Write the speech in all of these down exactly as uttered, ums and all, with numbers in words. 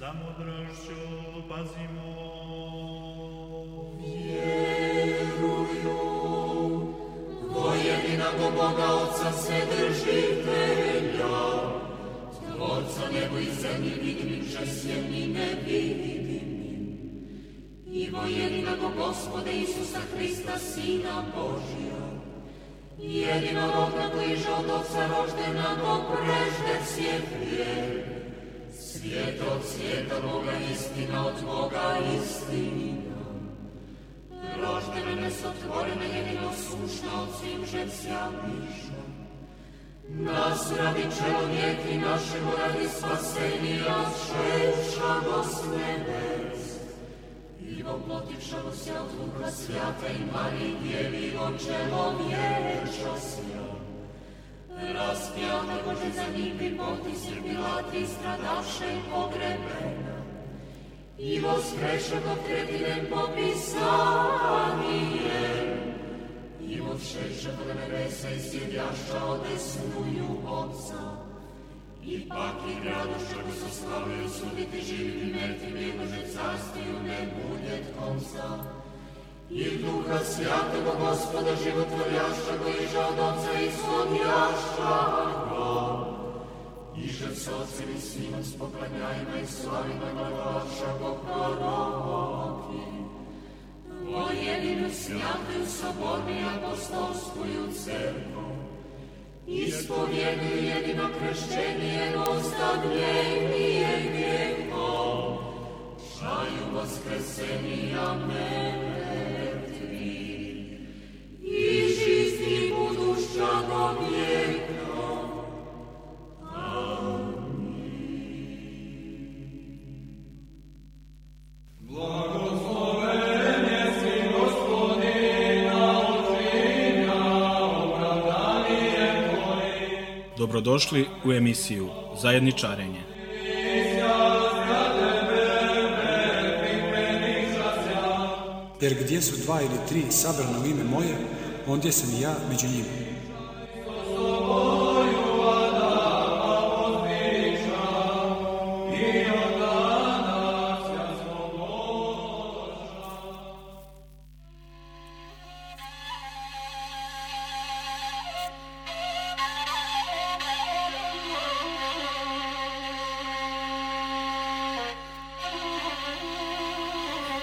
Samodrašću pazimo. Vjeruju, vojedinog Boga Otca Vседržitelja, Tvorca nebo i zemlji vidimim, žesjeni nevidimim, i vojedinog Gospoda Isusa Hrista, Sina Božja, jedinorodna koji je od Otca roždena, no prežde svijet vijek, svijet od svijeta Boga, istina od Boga, istina. Roždena nesotvorena, jedino sušna od svim žesjaniša. Nas radi čelovjek i našemu radi spasenija, šešago s nebes. I voplotivšago se od Duha Svjata i Mariji Djevi, od čelovječa sja. Raspjata Bože za njih pripoti Pilat i stradaše i pogrebena. I voskreše kod tretinem popisanijem. I vošeše kod nebesa i sjedjaša odesnuju Otca. I pak i graduša ko se slavaju suditi živim i mrtvim, jednože carstiju ne bude konca. I Duha Svjatoga Gospoda životvorjaša go iža od Otca ishodjaša go. Iže s Otcem i Sinom s poklanjajima i slavima glavaša go proroki. Pojedinu svjatuju sobornu i apostolskuju crkvu. Ispovjeduju jedino kršćenje, jednostavljenije grijehom. Šaju vaskrsenija mrtvi. I žisti buduća do vijeka. Dobrodošli u emisiju Zajedničarenje. Jer gdje su dva ili tri sabrana u ime moje, ondje sam i ja među njima.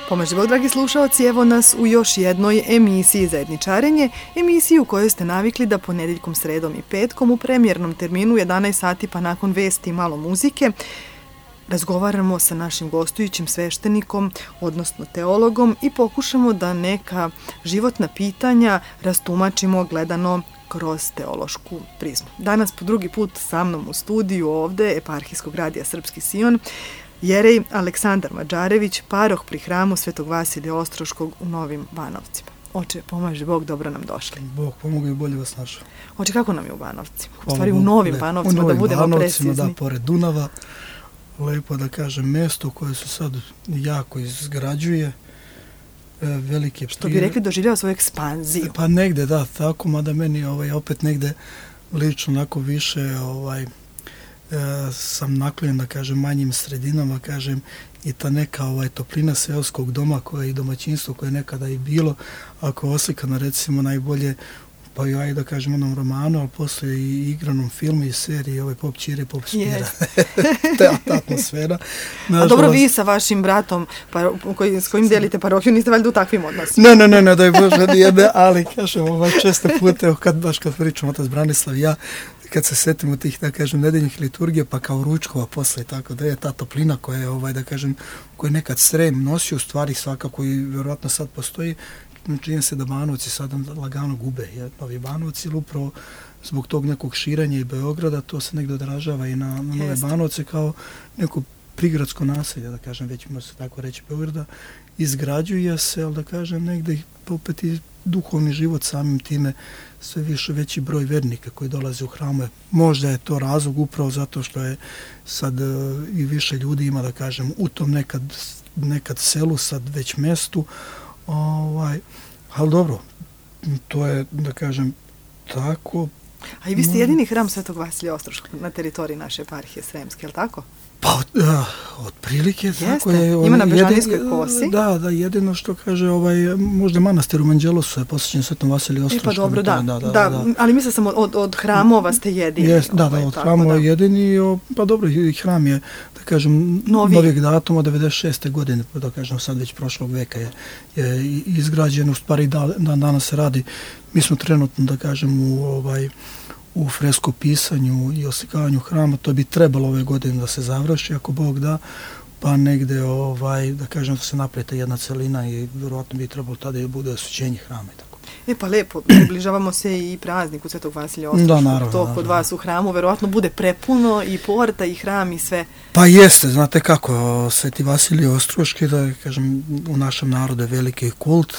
Pomaže Bog, dragi slušaoci, evo nas u još jednoj emisiji Zajedničarenje, emisiju u kojoj ste navikli da ponedjeljkom, sredom i petkom u premijernom terminu u jedanaest sati pa nakon vesti i malo muzike razgovaramo sa našim gostujućim sveštenikom, odnosno teologom, i pokušamo da neka životna pitanja rastumačimo gledano kroz teološku prizmu. Danas po drugi put sa mnom u studiju ovde Eparhijskog radija Srpski Sion jerej Aleksandar Mađarević, paroh pri hramu Svetog Vasilija Ostroškog u Novim Banovcima. Oče, pomaže Bog, dobro nam došli. Bog pomogu i bolje vas našao. Oče, kako nam je u Banovcima? U stvari u Novim Banovcima, da budemo Banovcima, precizni. da, pored Dunava, lepo da kažem, mesto koje se sad jako izgrađuje, velike prije... Što bi rekli, doživljava svoju ekspanziju. Pa negde, da, tako, mada meni ovaj, opet negde lično onako više ovaj, e, sam naklonjen, da kažem, manjim sredinama, kažem, i ta neka ovaj, toplina seoskog doma koja je i domaćinstvo koje je nekada i bilo, ako oslikano recimo najbolje, pa i aj da kažem onom romanu, ali poslije i igranom filmu i seriji, ovaj Pop Čire, Pop Spira. Ta, ta atmosfera. Nažalost... A dobro, vi sa vašim bratom pa, koji, s kojim delite parohiju, niste valjda u takvim odnosima? Ne, ne, ne, ne, daj Bože, nijedne, ali kažem, ovaj, često pute, kad, baš kad pričam otac Branislav i ja, kad se setimo tih, da kažem, nedeljnih liturgija, pa kao ručkova posle, tako da je ta toplina koja je, ovaj, da kažem, koja je nekad Srem nosio, u stvari svakako i vjerojatno sad postoji, čini se da Banovci sada lagano gube, jer Novi Banovci, ili upravo zbog tog nekog širenja i Beograda, to se negdje odražava i na, na Nove Banovce kao neko prigradsko naselje, da kažem, već može se tako reći Beograda, izgrađuje se, ali da kažem, negdje opet i duhovni život samim time, sve više veći broj vernika koji dolaze u hrame. Možda je to razlog upravo zato što je sad uh, i više ljudi ima, da kažem, u tom nekad, nekad selu, sad već mestu, ovaj, ali dobro, to je, da kažem, tako. A i vi ste jedini hram Svetog Vasilija Ostroškog na teritoriji naše eparhije Sremske, je li tako? Pa, uh, otprilike, tako je. Ima na Bežanijskoj kosi. Da, da, jedino što kaže, ovaj, možda manastir u Manđelosu je posvećen Svetom Vasiliju Ostroškom. E pa dobro, da, da, da, da, da. Ali mislim sam od, od hramova ste jedini. Jest, da, ovaj, da, od tako, hramova da. jedini, o, pa dobro, i hram je, da kažem, Novi. novijeg datuma, devedeset šeste godine, da kažem, sad već prošlog veka je, je izgrađen, u stvari da, da, danas se radi, mi smo trenutno, da kažem, u ovaj, u freskopisanju i oslikavanju hrama, to bi trebalo ove godine da se završi, ako Bog da, pa negde, ovaj, da kažem, da se naprete jedna celina i vjerovatno bi trebalo tada i bude osvećenje hrama i tako. E pa lepo, približavamo se i prazniku Svetog Vasilija Ostroškog. Da, naravno. To kod naravno. vas u hramu verovatno bude prepuno i porta i hram i sve. Pa jeste, znate kako, Sveti Vasilije Ostroški, da kažem, u našem narodu je veliki kult,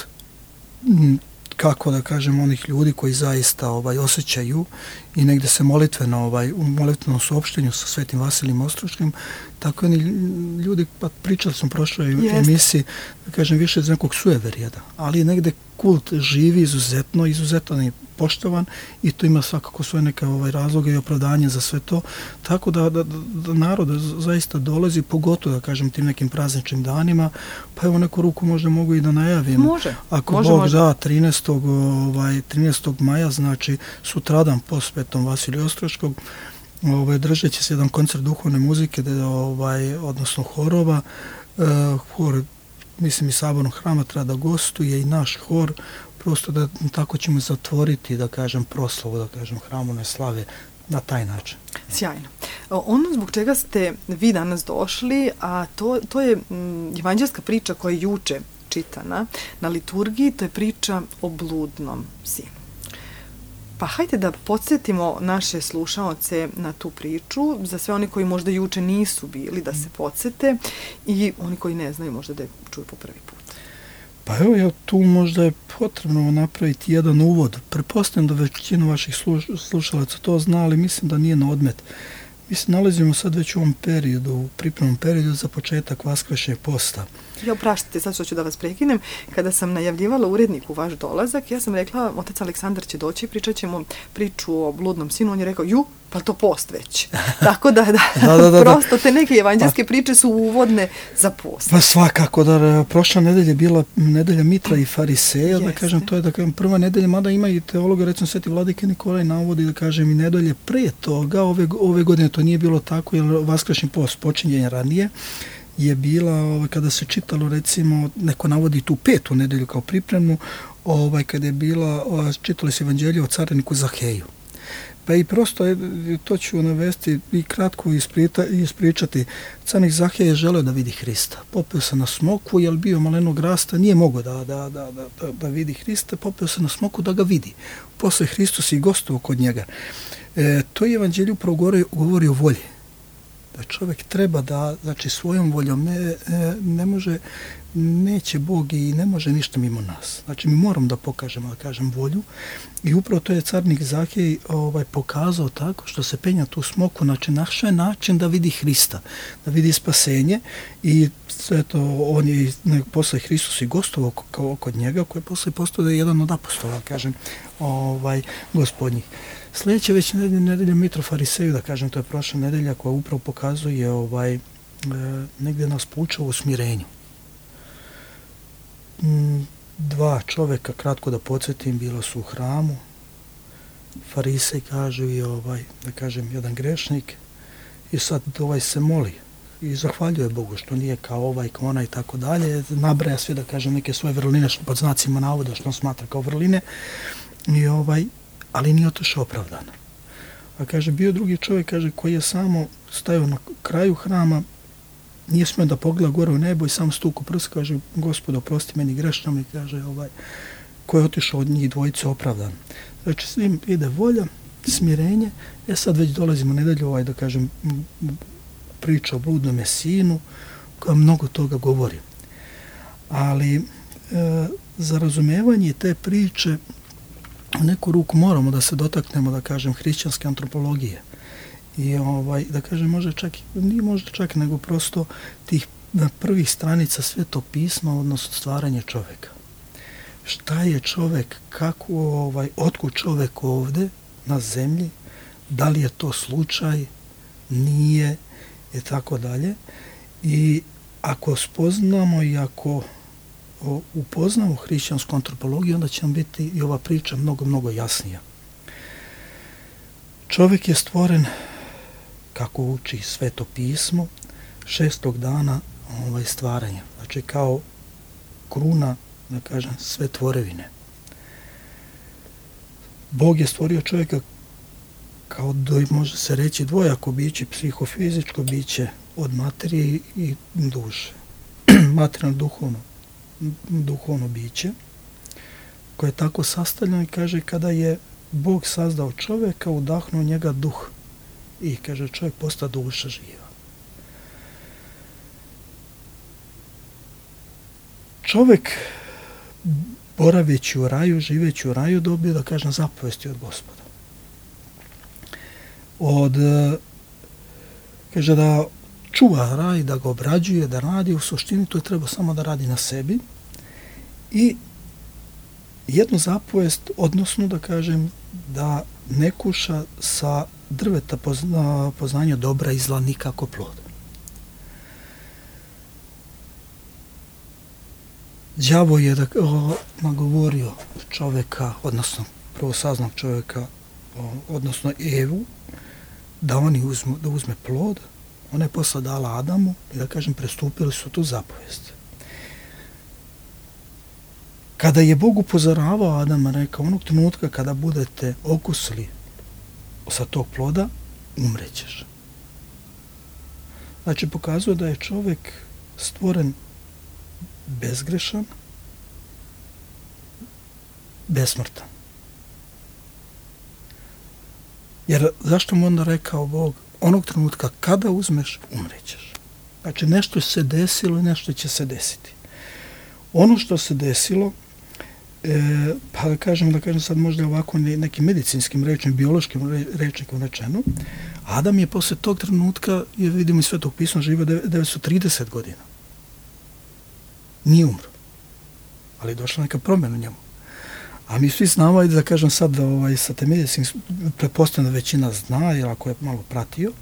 kako da kažem, onih ljudi koji zaista ovaj osjećaju i negde se molitveno ovaj u molitvenom suopštenju sa Svetim Vasilijem Ostroškim, tako oni ljudi, pa pričali smo u prošloj emisiji, da kažem, više iz nekog sueverija, ali negde kult živi izuzetno, izuzetno je poštovan i to ima svakako svoje neke ovaj razloge i opravdanje za sve to, tako da, da, da narod zaista dolazi, pogotovo da kažem tim nekim prazničnim danima, pa evo neku ruku možda mogu i da najavim. Može. Ako može, Bog može. da, trinaestog ovaj trinaestog maja, znači sutradan po Svetom Vasiliju Ostroškog, ovaj držat će se jedan koncert duhovne muzike, da ovaj odnosno horova, uh, hor mislim i Sabornog hrama treba da gostuje i naš hor, prosto da tako ćemo zatvoriti, da kažem, proslavu, da kažem, hramovne slave na taj način. Sjajno. Ono zbog čega ste vi danas došli, a to, to je m, evanđelska priča koja je juče čitana na liturgiji, to je priča o bludnom sinu. Pa hajde da podsjetimo naše slušaoce na tu priču, za sve oni koji možda juče nisu bili, da se podsjete, i oni koji ne znaju možda da je čuju po prvi put. Pa evo, ja tu možda je potrebno napraviti jedan uvod. Pretpostavljam da većina vaših sluš, slušalaca to zna, ali mislim da nije na odmet. Mi se nalazimo sad već u ovom periodu, u pripremnom periodu za početak Vaskršnjeg posta. Ja opraštite, sad što ću da vas prekinem. Kada sam najavljivala uredniku vaš dolazak, ja sam rekla, otac Aleksandar će doći, pričat ćemo priču o bludnom sinu. On je rekao, ju, pa to post već. Tako da, da, da, da, da, prosto te neke evanđelske priče su uvodne za post. Pa svakako, da prošla nedelja je bila nedelja Mitra i Fariseja, Jeste. Da kažem, to je da kažem prva nedelja, mada ima i teologa, recimo Sveti Vladika Nikolaj navodi, da kažem, i nedelje pre toga, ove, ove godine to nije bilo tako, jer Vaskršnji post počinje ranije, je bila, ovaj, kada se čitalo, recimo, neko navodi tu petu nedelju kao pripremnu, ovaj, kada je bila, ovaj, čitali se evanđelje o cariniku Zaheju. Pa i prosto, to ću navesti i kratko isprita, ispričati. Carnik Zahej je želeo da vidi Hrista. Popeo se na smoku, jer bio malenog rasta, nije mogao da, da, da, da, da vidi Hrista, popeo se na smoku da ga vidi. Posle Hristos i gostovao kod njega. E, to je evanđelje upravo govori, govori o volji. Da čovjek treba da, znači svojom voljom ne, ne može, neće Bog i ne može ništa mimo nas. Znači mi moramo da pokažemo, da kažem, volju, i upravo to je carnik Zahej ovaj, pokazao tako što se penja tu smoku, znači našao je način da vidi Hrista, da vidi spasenje, i sve to on je posle Hristos i gostovao kod njega, koji je posle postao da je jedan od apostola, kažem, ovaj, gospodnjih. Sljedeće već nedelja, nedelja Mitra Fariseju, da kažem, to je prošla nedelja koja upravo pokazuje ovaj, e, negdje nas poučava u smirenju. Mm, dva čoveka, kratko da podsjetim, bila su u hramu. Farisej kažu i ovaj, da kažem, jedan grešnik, i sad ovaj se moli i zahvaljuje Bogu što nije kao ovaj, kao ona i tako dalje. Nabraja sve, da kažem, neke svoje vrline, što pod znacima navoda što on smatra kao vrline, i ovaj, ali nije otišao opravdano. A kaže, bio drugi čovjek, kaže, koji je samo stajao na kraju hrama, nije smio da pogleda gore u nebo i sam stuku prst, kaže, Gospodo, oprosti meni grešnom, i kaže, ovaj, ko je otišao od njih dvojice opravdan. Znači, s njim ide volja, smirenje. Ja sad već dolazimo nedelju, ovaj, da kažem, priča o bludnom sinu, koja mnogo toga govori. Ali, e, za razumevanje te priče, u neku ruku moramo da se dotaknemo, da kažem, hrišćanske antropologije. I ovaj, da kažem, možda čak, nije možda čak, nego prosto tih prvih stranica Svetog pisma, odnosno stvaranje čoveka. Šta je čovek, kako, ovaj, otkud čovek ovde na zemlji, da li je to slučaj, nije, i tako dalje. I ako spoznamo i ako upoznamo hrišćansku antropologiju, onda će nam biti i ova priča mnogo, mnogo jasnija. Čovjek je stvoren, kako uči Sveto pismo, šestog dana ovaj, stvaranja. Znači kao kruna, da kažem, sve tvorevine. Bog je stvorio čovjeka kao do, može se reći dvojako biće, psihofizičko biće od materije i duše. Materijalno duhovno, duhovno biće koje je tako sastavljeno i kaže kada je Bog sazdao čovjeka, udahnuo njega duh i kaže čovjek posta duša živa. Čovjek boraveći u raju, živeći u raju, dobio, da kažem, zapovesti od Gospoda. Od, kaže da čuva raj, da ga obrađuje, da radi, u suštini to je treba samo da radi na sebi i jednu zapovest, odnosno da kažem da ne kuša sa drveta pozna, poznanja dobra i zla nikako plod. Đavo je da, o, nagovorio čovjeka, odnosno prvosaznog čovjeka, o, odnosno Evu, da oni uzmu, da uzme plod. Ona je posle dala Adamu i da kažem prestupili su tu zapovest. Kada je Bog upozoravao Adama, rekao, onog trenutka kada budete okusili sa tog ploda, umrećeš. Znači, pokazuje da je čovjek stvoren bezgrešan, besmrtan. Jer zašto mu onda rekao Bog, onog trenutka kada uzmeš, umrećeš. Znači, nešto se desilo i nešto će se desiti. Ono što se desilo, e, pa da kažem, da kažem sad možda ovako nekim medicinskim rečnikom, biološkim rečnikom rečeno, Adam je posle tog trenutka, je, vidimo iz Svetog pisma, živio devetsto trideset godina. Nije umro. Ali je došla neka promjena u njemu. A mi svi znamo, da kažem sad, da ovaj, sa te medicinske, pretpostavljena većina zna, jer ako je malo pratio,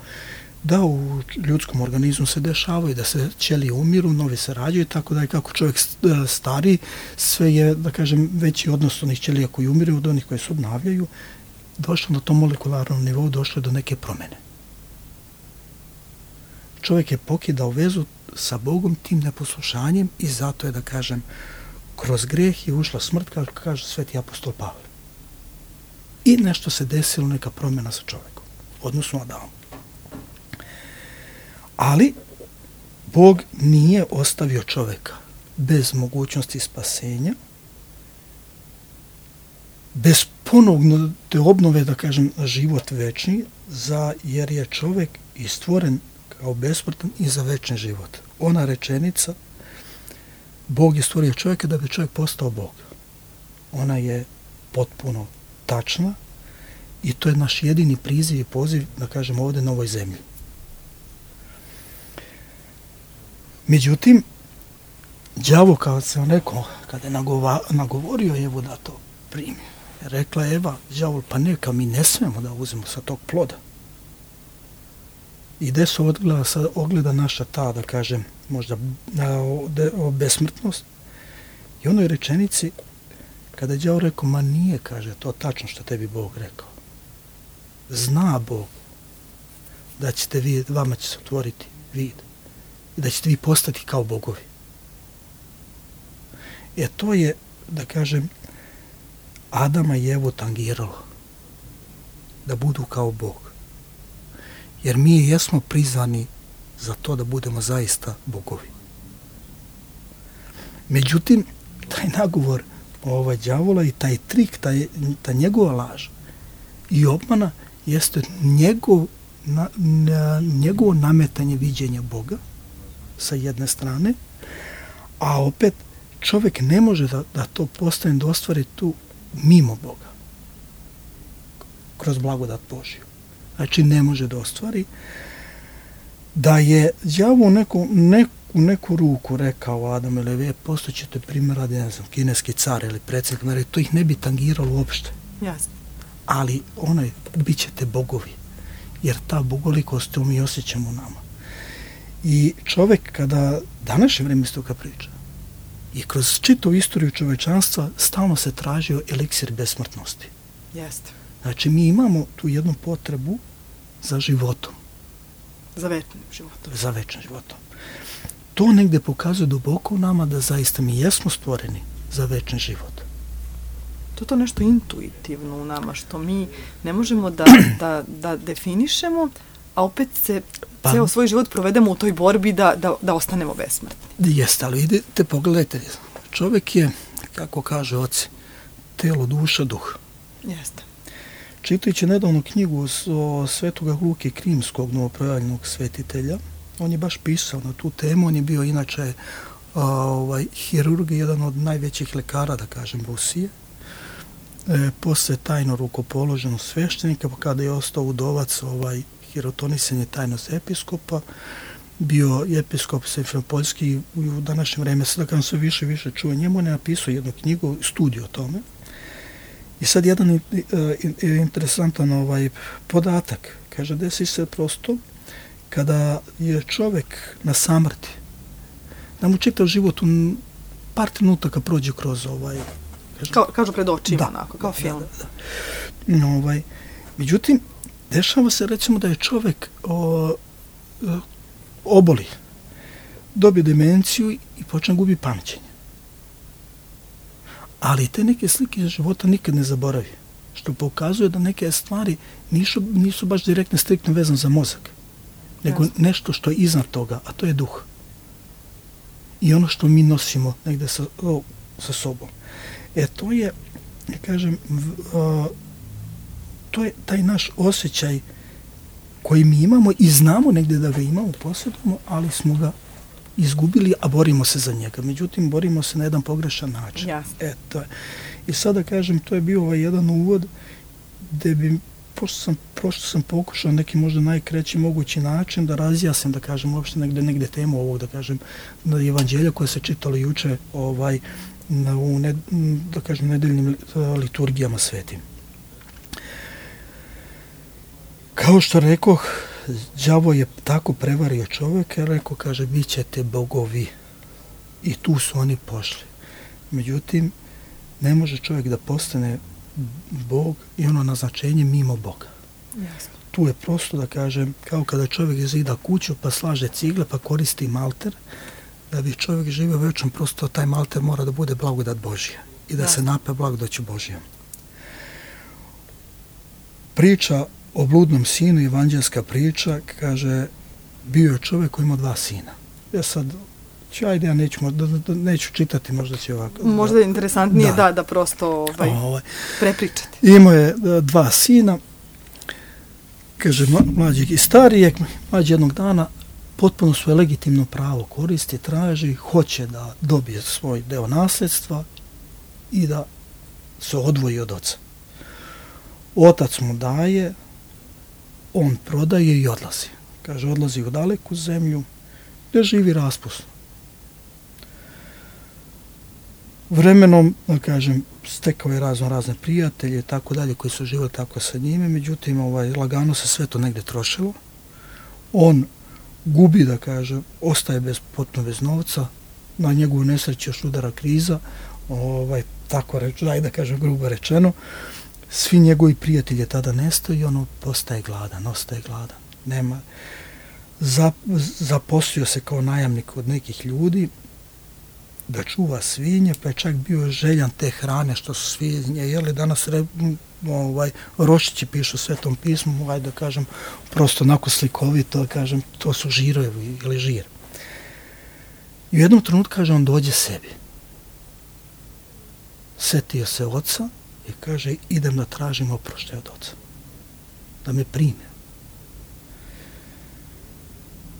da u ljudskom organizmu se dešavaju, da se ćelije umiru, novi se rađaju, tako da je kako čovjek stari, sve je, da kažem, veći odnos onih ćelija koji umiru od onih koji se obnavljaju, došlo na tom molekularnom nivou, došlo do neke promjene. Čovjek je pokidao vezu sa Bogom tim neposlušanjem i zato je, da kažem, kroz greh je ušla smrt, kako kaže sveti apostol Pavle. I nešto se desilo, neka promjena sa čovjekom, odnosno Adamom. Ali Bog nije ostavio čovjeka bez mogućnosti spasenja, bez ponovno te obnove, da kažem, život večni, za, jer je čovjek i stvoren kao besmrtan i za večni život. Ona rečenica, Bog je stvorio čovjeka da bi čovjek postao Bog. Ona je potpuno tačna i to je naš jedini priziv i poziv, da kažem, ovdje na ovoj zemlji. Međutim, đavo, kao sam rekao, kada je nagova, nagovorio Evu da to primi, rekla Eva, đavol, pa neka, mi ne smemo da uzmemo sa tog ploda. I gde se ogleda, ogleda naša ta, da kažem, možda o, o besmrtnost. I onoj rečenici, kada je đavo rekao, ma nije, kaže, to tačno što tebi Bog rekao. Zna Bog da ćete vi, vama će se otvoriti vid i da ćete vi postati kao bogovi. E to je, da kažem, Adama i Evu tangiralo da budu kao Bog. Jer mi jesmo prizvani za to da budemo zaista bogovi. Međutim, taj nagovor ovaj đavola i taj trik, taj, ta njegova laž i obmana jeste njegov, na, na, njegovo nametanje viđenja Boga sa jedne strane, a opet čovjek ne može da, da to postane, da ostvari tu mimo Boga, kroz blagodat Božju. Znači ne može da ostvari, da je đavo u neku, neku, neku ruku rekao Adam ili Eve, postojećete primjer radi, ne znam, kineski car ili predsjednik, to ih ne bi tangiralo uopšte. Jasno. Ali onaj, bit ćete bogovi, jer ta bogolikost to mi osjećamo u nama. I čovjek kada današnje vrijeme isto kad priča i kroz čitavu istoriju čovečanstva stalno se tražio eliksir besmrtnosti. Jeste. Znači mi imamo tu jednu potrebu za životom. Za večnim životom. Za večnim životom. To negdje pokazuje duboko u nama da zaista mi jesmo stvoreni za večni život. To je to nešto intuitivno u nama, što mi ne možemo da, da, da definišemo, a opet se pa, ceo svoj život provedemo u toj borbi da, da, da ostanemo besmrtni. Jeste, ali idete, pogledajte, čovjek je, kako kaže oci, telo, duša, duh. Jeste. Čitajući nedavno knjigu o svetoga Luke Krimskog, novoprojavljenog svetitelja, on je baš pisao na tu temu, on je bio inače a, ovaj, hirurg, jedan od najvećih lekara, da kažem, Rusije. E, posle tajno rukopoloženog sveštenika, pa kada je ostao udovac, ovaj, hirotonisan je tajnost episkopa, bio episkop Simferopolski, u današnje vreme se da kažem sve više i više čuje njemu, on je napisao jednu knjigu, studiju o tome. I sad jedan uh, interesantan ovaj podatak, kaže, desi se prosto kada je čovjek na samrti, da mu čitav život u par trenutaka prođe kroz ovaj... Kaže, kao, kažu pred očima, da, onako, kao film. Da, da, da. Ovaj, međutim, dešava se recimo da je čovjek o, o, oboli, dobije demenciju i počne gubi pamćenje. Ali te neke slike života nikad ne zaboravi, što pokazuje da neke stvari nisu, nisu baš direktno striktno vezane za mozak, nego Jasne. Nešto što je iznad toga, a to je duh. I ono što mi nosimo negde sa, o, sa sobom. E to je, ja kažem, uh, to je taj naš osjećaj koji mi imamo i znamo negde da ga imamo, posjedujemo, ali smo ga izgubili, a borimo se za njega. Međutim, borimo se na jedan pogrešan način. Jasne. E, to je. I sada kažem, to je bio ovaj jedan uvod gde bi, pošto sam, pošto sam pokušao neki možda najkreći mogući način da razjasnim, da kažem, uopšte negde, negde temu ovog, da kažem, na evanđelja koje se čitalo juče, ovaj, na, u, ne, da kažem, nedeljnim liturgijama svetim. Kao što rekoh, đavo je tako prevario čovjeka, rekao, kaže, bit ćete bogovi. I tu su oni pošli. Međutim, ne može čovjek da postane Bog i ono naznačenje mimo Boga. Jasno. Tu je prosto, da kažem, kao kada čovjek zida kuću, pa slaže cigle, pa koristi malter, da bi čovjek živio večnom, prosto taj malter mora da bude blagodat Božja i da Jasno. Se nape blagodaću Božjom. Priča o bludnom sinu, evanđelska priča, kaže, bio je čovjek koji ima dva sina. Ja sad, ću, ajde, ja neću, da, da, neću čitati, možda će ovako. Možda je interesantnije, da, da, da prosto ovaj, ovaj, prepričati. Imao je dva sina, kaže, mlađeg i starijeg, mlađi jednog dana, potpuno svoje legitimno pravo koristi, traži, hoće da dobije svoj deo nasljedstva i da se odvoji od oca. Otac mu daje, on prodaje i odlazi. Kaže, odlazi u daleku zemlju, gdje živi raspusno. Vremenom, da kažem, stekao je razno razne prijatelje i tako dalje, koji su živjeli tako sa njime, međutim, ovaj, lagano se sve to negdje trošilo. On gubi, da kažem, ostaje bez, potpuno bez novca, na njegovu nesreću još udara kriza, ovaj, tako reč, daj da kažem, grubo rečeno. Svi njegovi prijatelji tada nestaju i ono postaje gladan, ostaje gladan. Nema. Zap, zaposlio se kao najamnik od nekih ljudi da čuva svinje, pa je čak bio željan te hrane što su svinje jeli. Danas re, ovaj, Rošići pišu u Svetom pismu, ovaj, da kažem, prosto onako slikovito, da kažem, to su žirovi ili žir. I u jednom trenutku, kaže, on dođe sebi. Setio se oca i kaže, idem da tražim oproštaj od oca. Da me prime.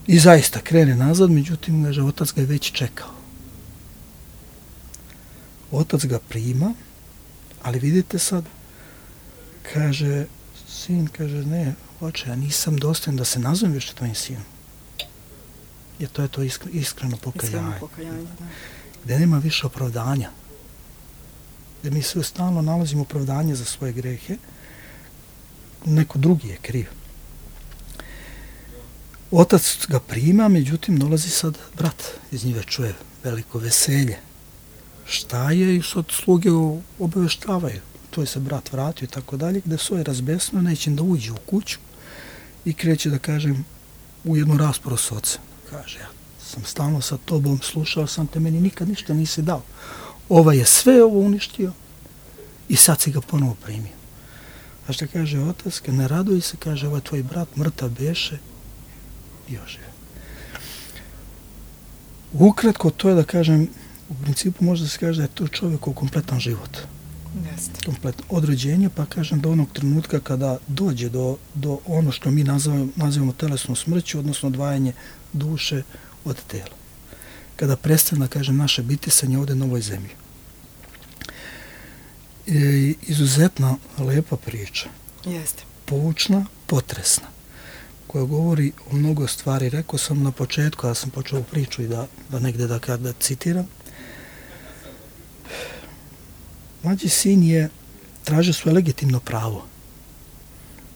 I zaista krene nazad, međutim, kaže, otac ga je već čekao. Otac ga prima, ali vidite sad, kaže, sin, kaže, ne, oče, ja nisam dostojan da se nazovem više tvojim sinom. Jer to je to iskre, iskreno pokajanje. Iskreno pokajanje, da. Gde nema više opravdanja. Gde mi sve stalno nalazimo opravdanje za svoje grehe, neko drugi je kriv. Otac ga prima, međutim dolazi sad brat, iz njive čuje veliko veselje. Šta je? I sad sluge obaveštavaju. To je se brat vratio i tako dalje, gde svoje razbesno neće da uđe u kuću i kreće da kažem u jednu raspravu s ocem. Kaže, ja sam stalno sa tobom, slušao sam te, meni nikad ništa nisi dao. Ova je sve ovo uništio i sad si ga ponovo primio. A što kaže otac, kad ne raduj se, kaže, ovaj tvoj brat mrtav beše i ožive. Ukratko, to je da kažem, u principu može da se kaže da je to čovjekov kompletan život. Jeste. Kompletno od rođenja, pa kažem do onog trenutka kada dođe do, do ono što mi nazivamo, nazivamo telesnom smrću, odnosno odvajanje duše od tela. Kada prestane, da kažem, naše bitisanje ovdje na ovoj zemlji. E, izuzetna lepa priča. Jeste. Poučna, potresna, koja govori o mnogo stvari. Rekao sam na početku, ja sam počeo priču i da, da negde da, da citiram. Mlađi sin je tražio svoje legitimno pravo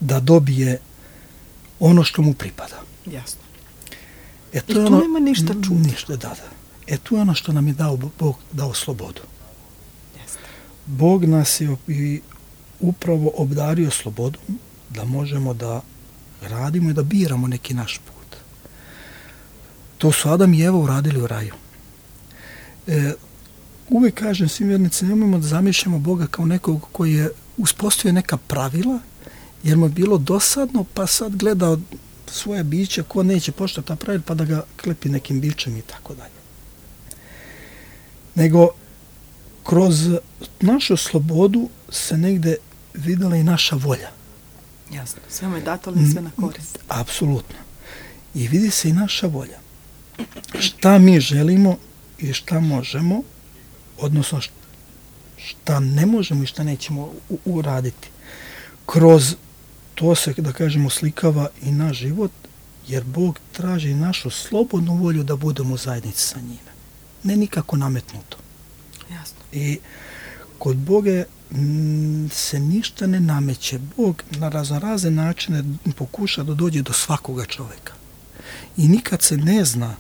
da dobije ono što mu pripada. Jasno. E, to I tu ono, nema ništa čuti. Ništa, da, da. E tu je ono što nam je dao Bog, dao slobodu. Jeste. Bog nas je i upravo obdario slobodom da možemo da radimo i da biramo neki naš put. To su Adam i Eva uradili u raju. E, uvijek kažem svim vjernicima, nemojmo da zamišljamo Boga kao nekog koji je uspostavio neka pravila, jer mu je bilo dosadno, pa sad gleda svoje biće, ko neće poštovati ta pravila, pa da ga klepi nekim bićem i tako dalje. Nego, kroz našu slobodu se negde videla i naša volja. Jasno, sve mu je dato, ali sve na korist. Apsolutno. I vidi se i naša volja. Šta mi želimo i šta možemo, odnosno šta ne možemo i šta nećemo uraditi. Kroz to se, da kažemo, slikava i naš život, jer Bog traži našu slobodnu volju da budemo u zajednici sa njime. Ne nikako nametnuto. Jasno. I kod Boga m, se ništa ne nameće. Bog na razne načine pokuša da dođe do svakoga čoveka. I nikad se ne zna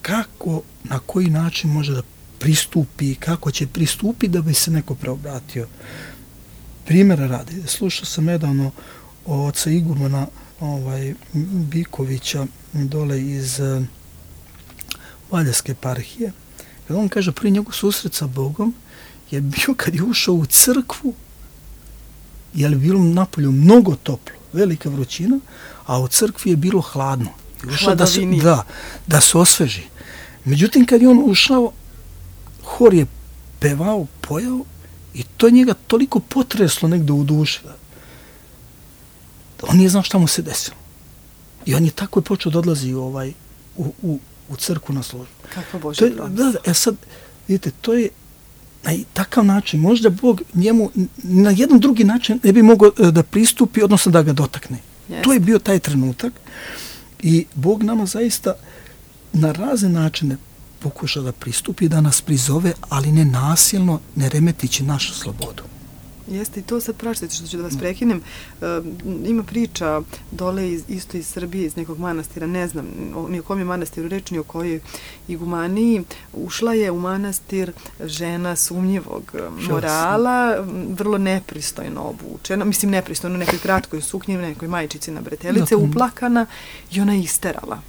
kako, na koji način može da pristupi, kako će pristupiti da bi se neko preobratio. Primjera radi, slušao sam nedavno o oca igumana ovaj, Bikovića dole iz uh, Valjevske eparhije. Kad on kaže, prvi njegov susret sa Bogom je bio kad je ušao u crkvu, jer je bilo napolju mnogo toplo, velika vrućina, a u crkvi je bilo hladno. Ušao da se, da, da se osveži. Međutim, kad je on ušao, hor je pevao, pojao, i to njega toliko potreslo negde u duši. On nije znao šta mu se desilo. I on je tako je počeo da odlazi ovaj, u, u, u crkvu na službu. Kakva Božja promis. Da, da, e sad, vidite, to je na takav način, možda Bog njemu na jedan drugi način ne bi mogao da pristupi, odnosno da ga dotakne. Jeste. To je bio taj trenutak i Bog nama zaista na razne načine pokuša da pristupi, da nas prizove, ali ne nasilno, ne remetići našu slobodu. Jeste, i to sad praštite što ću da vas prekinem. E, ima priča dole iz, isto iz Srbije, iz nekog manastira, ne znam ni o kom je manastiru reč, ni o kojoj igumaniji. Ušla je u manastir žena sumnjivog morala, vrlo nepristojno obučena, mislim nepristojno, u nekoj kratkoj suknji, nekoj majčici na bretelice, uplakana, i ona je isterala.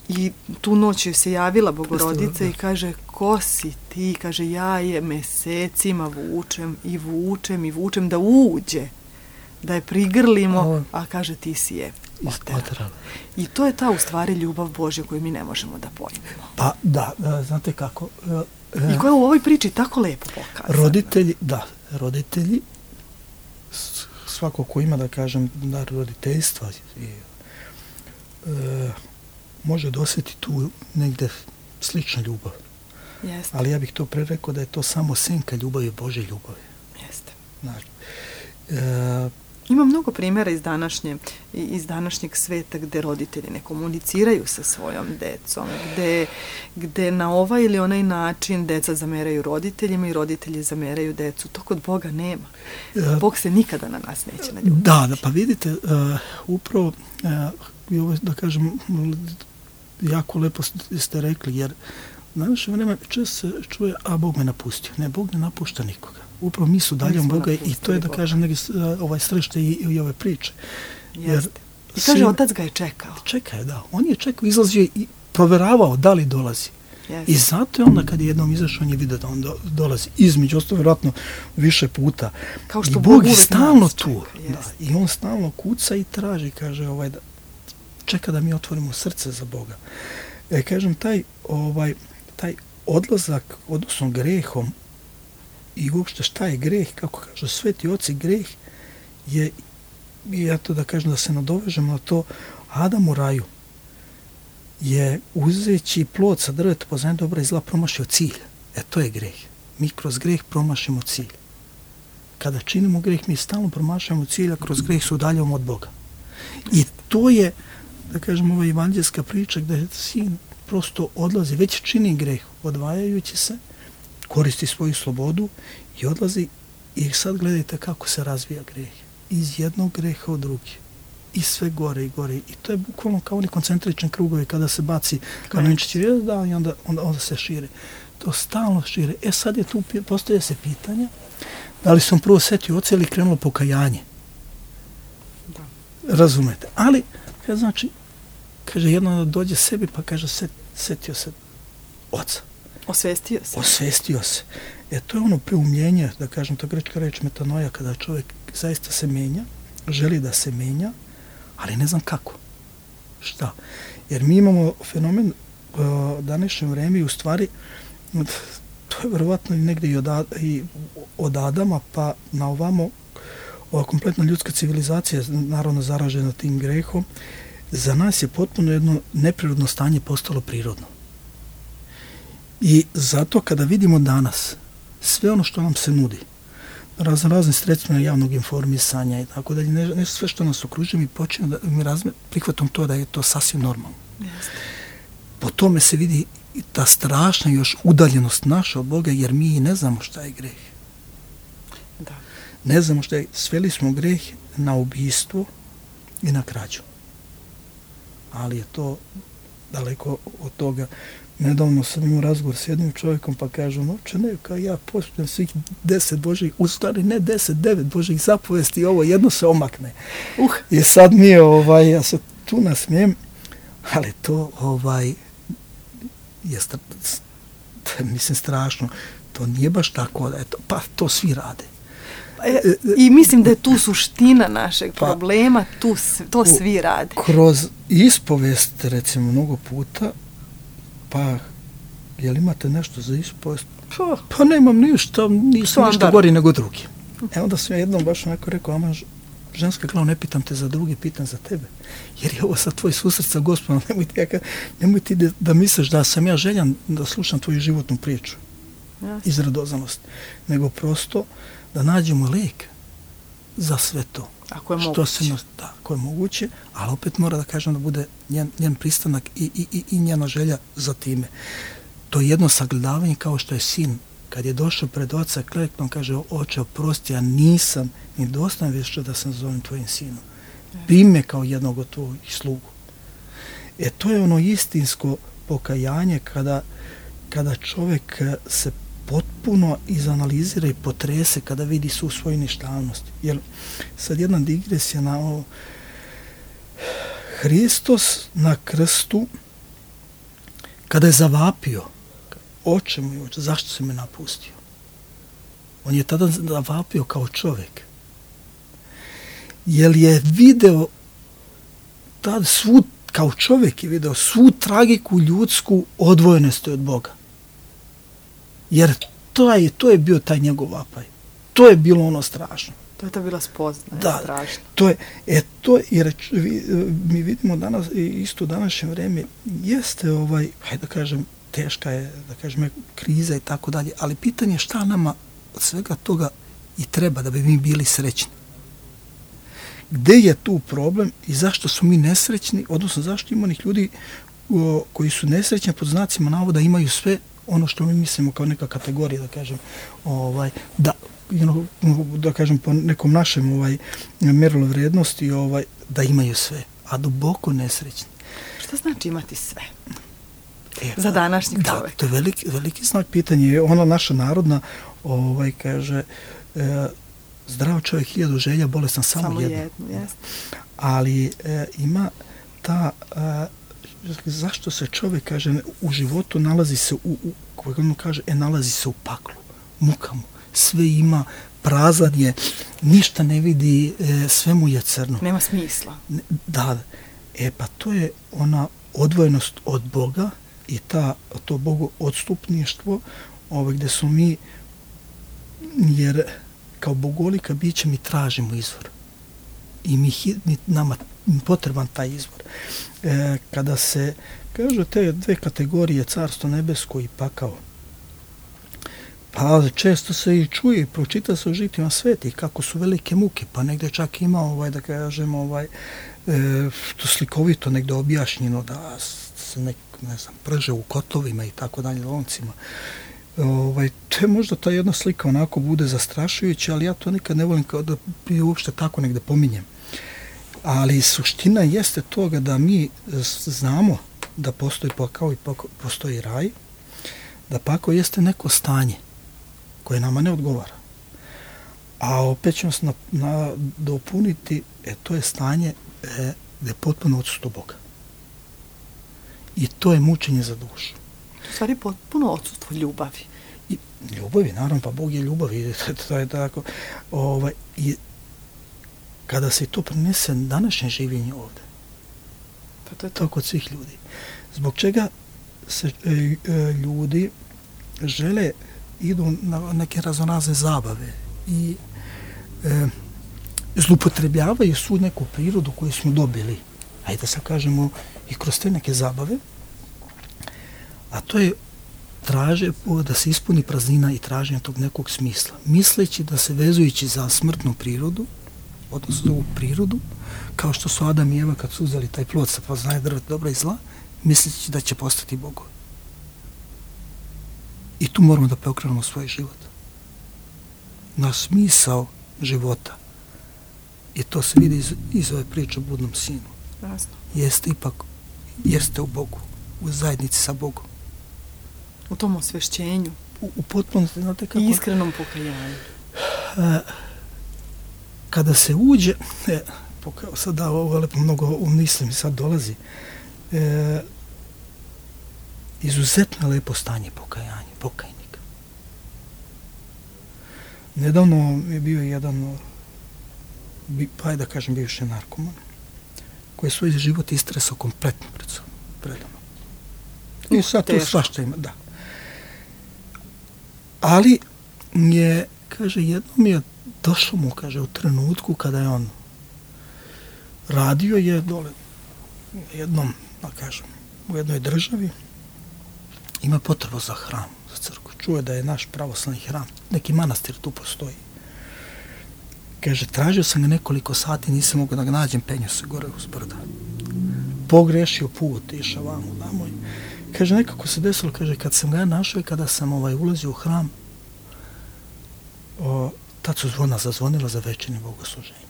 I tu noć joj se javila Bogorodica i kaže, ko si ti? Kaže, ja je mesecima vučem i vučem i vučem da uđe, da je prigrlimo, a kaže, ti si je isterala. I to je ta u stvari ljubav Božja koju mi ne možemo da pojmemo. Pa da, da, znate kako. I koja u ovoj priči tako lepo pokazana. Roditelji, da, roditelji, svako ko ima, da kažem, dar roditeljstva i e, može da osjeti tu negde slična ljubav. Jeste. Ali ja bih to pre rekao da je to samo senka ljubavi, Božje ljubavi. Jeste. Znači, e, Ima mnogo primjera iz današnje, iz današnjeg sveta gde roditelji ne komuniciraju sa svojom decom, gde, gde na ovaj ili onaj način deca zameraju roditeljima i roditelji zameraju decu. To kod Boga nema. Bog se nikada na nas neće naljutiti. Da, da, pa vidite, uh, upravo, uh, ovo, da kažem, jako lepo ste rekli, jer u današnje vreme često se čuje, a Bog me napustio. Ne, Bog ne napušta nikoga. Upravo mi su daljom Boga i to je, da kažem, neki, ovaj središte i, i ove priče. Jer i kaže, otac ga je čekao. Čekao, da. On je čekao, izlazio i proveravao da li dolazi. Jeste. I zato je onda kad je jednom izašao, on je vidio da on do, dolazi. Između ostalo, vjerojatno, više puta. Kao što I Bog, Bog je uvek stalno tu. Čeka, Da. I on stalno kuca i traži, kaže, ovaj, da, čeka da mi otvorimo srce za Boga. E, kažem, taj, ovaj, taj odlazak, odnosno grehom, i uopšte šta je greh, kako kažu sveti oci, greh je, ja to da kažem, da se nadovežem na to, Adam u raju je uzeći plod sa drveta poznanja dobra i zla promašio cilj. E to je greh. Mi kroz greh promašimo cilj. Kada činimo greh, mi stalno promašamo cilj, a kroz greh se udaljavamo od Boga. I to je, da kažem, ova evanđelska priča gde sin prosto odlazi, već čini greh, odvajajući se, koristi svoju slobodu i odlazi. I sad gledajte kako se razvija greh. Iz jednog greha u drugi. I sve gore i gore. I to je bukvalno kao oni koncentrični krugovi kada se baci kamenčić i da, i onda, onda, onda se šire. To stalno šire. E sad je tu, postoje se pitanja, da li sam prvo setio oca ili krenulo pokajanje. Da. Razumete. Ali, kada znači, kaže, jedno dođe sebi pa kaže, set, setio se oca. Osvestio se. Osvestio se. E, to je ono preumljenje, da kažem, to grčka reč metanoja, kada čovjek zaista se menja, želi da se menja, ali ne znam kako. Šta? Jer mi imamo fenomen uh, današnje vreme i u stvari, to je verovatno negdje i od, i od Adama, pa na ovamo, ova kompletna ljudska civilizacija, naravno zaražena tim grehom, za nas je potpuno jedno neprirodno stanje postalo prirodno. I zato kada vidimo danas sve ono što nam se nudi, razno razne sredstvima javnog informisanja i tako dalje, ne, ne sve što nas okružuje, mi počinemo da mi razme, prihvatom to da je to sasvim normalno. Jeste. Po tome se vidi ta strašna još udaljenost naša od Boga, jer mi ne znamo šta je greh. Da. Ne znamo šta je, sveli smo greh na ubijstvo i na krađu. Ali je to daleko od toga. Nedavno sam imao razgovor s jednim čovjekom pa kažu, noće ne, kao ja poštujem svih deset Božih, u stvari ne deset, devet Božih zapovesti, ovo jedno se omakne. Uh. I sad mi je, ovaj, ja se tu nasmijem, ali to ovaj, je stra, mislim strašno, to nije baš tako, eto, pa to svi rade. E, I mislim da je tu suština našeg pa, problema, tu, to svi rade. Kroz ispovest, recimo, mnogo puta, pa, jel imate nešto za ispovest? Pa, pa nemam ništa, nisam ništa gori nego drugi. E onda sam ja jednom baš onako rekao, ama ženska glava, ne pitam te za drugi, pitam za tebe. Jer je ovo sad tvoj susret sa Gospodom, nemoj ti, ja, nemoj ti da, da misliš da sam ja željan da slušam tvoju životnu priču. Yes. Iz radoznalosti. Nego prosto da nađemo lek za sve to. Ako je što moguće. Se, da, ako je moguće, ali opet mora da kažem da bude njen, njen pristanak i, i, i, i njena želja za time. To je jedno sagledavanje kao što je sin. Kad je došao pred oca, kleknom kaže, oče, oprosti, ja nisam ni dostojan više da sam zovem tvojim sinom. Primi me kao jednog od tvojih slugu. E to je ono istinsko pokajanje kada, kada čovjek se potpuno izanalizira i potrese kada vidi svu svoju ništavnost. Jer sad jedna digresija na ovo. Hristos na krstu, kada je zavapio, oče moj, oče, zašto si me napustio? On je tada zavapio kao čovjek. Jer je video tad svu, kao čovjek je video svu tragiku ljudsku odvojenosti od Boga. Jer to je, to je bio taj njegov vapaj. To je bilo ono strašno. To je to bila spoznaja, da, strašno. To je, e, to, jer vi, mi vidimo danas, isto u današnje vreme, jeste, ovaj, hajde da kažem, teška je, da kažem, kriza i tako dalje, ali pitanje je šta nama od svega toga i treba da bi mi bili srećni. gde je tu problem i zašto su mi nesrećni, odnosno zašto ima onih ljudi o, koji su nesrećni, pod znacima navoda imaju sve ono što mi mislimo kao neka kategorija, da kažem, ovaj, da, you know, da kažem po nekom našem ovaj, mjerilu vrijednosti, ovaj, da imaju sve, a duboko nesrećni. Šta znači imati sve? E, za današnjeg da, čovjeka. To je veliki, veliki znak pitanja. Ona naša narodna ovaj, kaže e, zdrav čovjek hiljadu želja, bolestan samo, samo jednu. jednu yes. Ali e, ima ta e, zašto se čovjek kaže u životu nalazi se u, u kako on kaže, e, nalazi se u paklu, mukama, sve ima, prazan je, ništa ne vidi, e, sve mu je crno. Nema smisla. Da, e pa to je ona odvojenost od Boga i ta, to Bogu odstupništvo, ovaj, gdje su mi, jer kao bogolika biće mi tražimo izvor. I mi, mi nama potreban taj izvor. E, kada se kaže te dve kategorije, carstvo nebesko i pakao, pa često se i čuje i pročita se u žitima sveti kako su velike muke, pa negdje čak ima, ovaj, da kažemo, ovaj, e, to slikovito negdje objašnjeno da se nek, ne znam, prže u kotlovima i tako dalje, loncima. Ovaj, to je možda ta jedna slika onako bude zastrašujuća, ali ja to nikad ne volim kao da bi uopšte tako negdje pominjem. Ali suština jeste toga da mi znamo da postoji pakao i postoji raj, da pakao jeste neko stanje koje nama ne odgovara. A opet ćemo se na, na, dopuniti, e, to je stanje e, gdje je potpuno odsustvo Boga. I to je mučenje za dušu. U stvari potpuno odsustvo ljubavi. I ljubavi, naravno, pa Bog je ljubav i to je tako. Ovaj, i kada se to prenese današnje življenje ovdje, pa to je to. to kod svih ljudi. Zbog čega se e, e, ljudi žele, idu na neke raznorazne zabave i e, zlupotrebljavaju svu neku prirodu koju smo dobili. Ajde da sad kažemo i kroz te neke zabave, a to je traže da se ispuni praznina i traženje tog nekog smisla. Misleći da se vezujući za smrtnu prirodu, odnosno za ovu prirodu, kao što su Adam i Eva kad su uzeli taj plod sa poznaje drveta dobra i zla, misleći da će postati Bogovi. I tu moramo da preokrenemo svoj život. Na smisao života. I to se vidi iz, iz ove priče o budnom sinu. Jasno. Jeste ipak, jeste u Bogu, u zajednici sa Bogom. U tom osvešćenju. U, u potpunosti, znate kako... I iskrenom pokajanju. E, kada se uđe, e, pokao sada ovo lepo mnogo umislim, sad dolazi, e, izuzetno lepo stanje pokajanja, pokajnika. Nedavno je bio jedan, pa da kažem, bivši narkoman, koji je svoj život istresao kompletno pred sobom, predano. I sad tu svašta ima, da. Ali je, kaže, jednom je došlo mu, kaže, u trenutku kada je on radio je dole jednom, da kažem, u jednoj državi, ima potrebu za hram, za crkvu. Čuje da je naš pravoslavni hram, neki manastir tu postoji. Kaže, tražio sam ga nekoliko sati, nisam mogu da ga nađem, penju se gore uz brda. Pogrešio put, išao vamo, vamo. Kaže, nekako se desilo, kaže, kad sam ga našao i kada sam ovaj, ulazio u hram, o, tad su zvona zazvonila za večernje bogosluženje.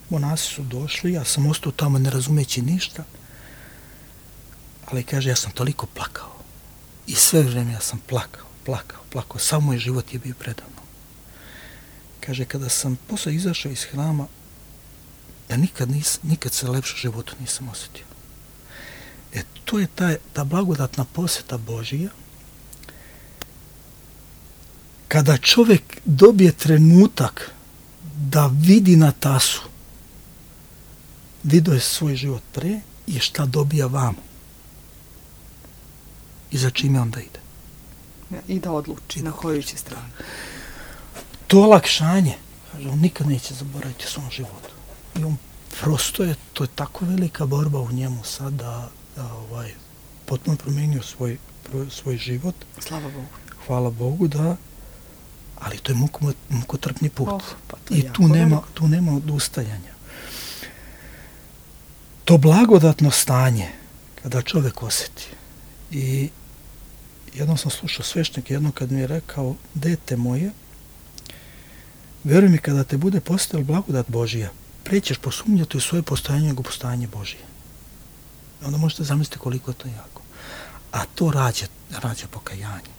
Monasi su došli, ja sam ostao tamo ne razumeći ništa, ali kaže, ja sam toliko plakao. I sve vrijeme ja sam plakao, plakao, plakao. Sam moj život je bio predavno. Kaže, kada sam posle izašao iz hrama, ja nikad, nis, nikad se lepše u životu nisam osjetio. E, to je ta, ta blagodatna posjeta Božija, kada čovjek dobije trenutak da vidi na tasu, vidio je svoj život pre i šta dobija vamo. I za čime onda ide. I da odluči I na koju će stranu. To olakšanje, kaže, on nikad neće zaboraviti u svom životu. I on prosto je, to je tako velika borba u njemu sad da, da ovaj, potpuno promijenio svoj, svoj život. Slava Bogu. Hvala Bogu, da, ali to je muko, mukotrpni put. Oh, pa to I tu nema, tu nema odustajanja. to blagodatno stanje kada čovjek osjeti. I jednom sam slušao sveštenika, jednom kad mi je rekao, dete moje, vjeruj mi, kada te bude postojala blagodat Božija, prećeš posumnjati u svoje postojanje nego postojanje Božije. Onda možete zamisliti koliko je to jako. A to rađa, rađa pokajanje.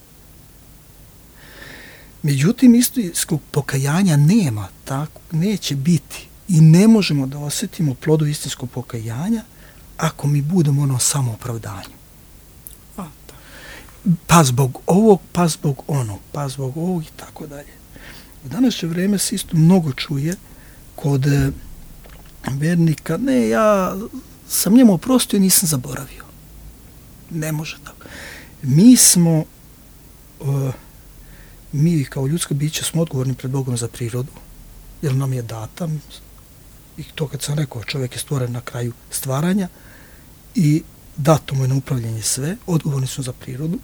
Međutim, istinskog pokajanja nema, tako, neće biti i ne možemo da osjetimo plodu istinskog pokajanja ako mi budemo ono samoopravdanju. Pa zbog ovog, pa zbog onog, pa zbog ovog i tako dalje. U današnje vrijeme se isto mnogo čuje kod e, vernika, ne, ja sam njemu oprostio i nisam zaboravio. Ne može tako. Mi smo, e, mi kao ljudsko biće smo odgovorni pred Bogom za prirodu, jer nam je data, i to kad sam rekao, čovjek je stvoren na kraju stvaranja i dato mu je na upravljanje sve, odgovorni su za prirodu,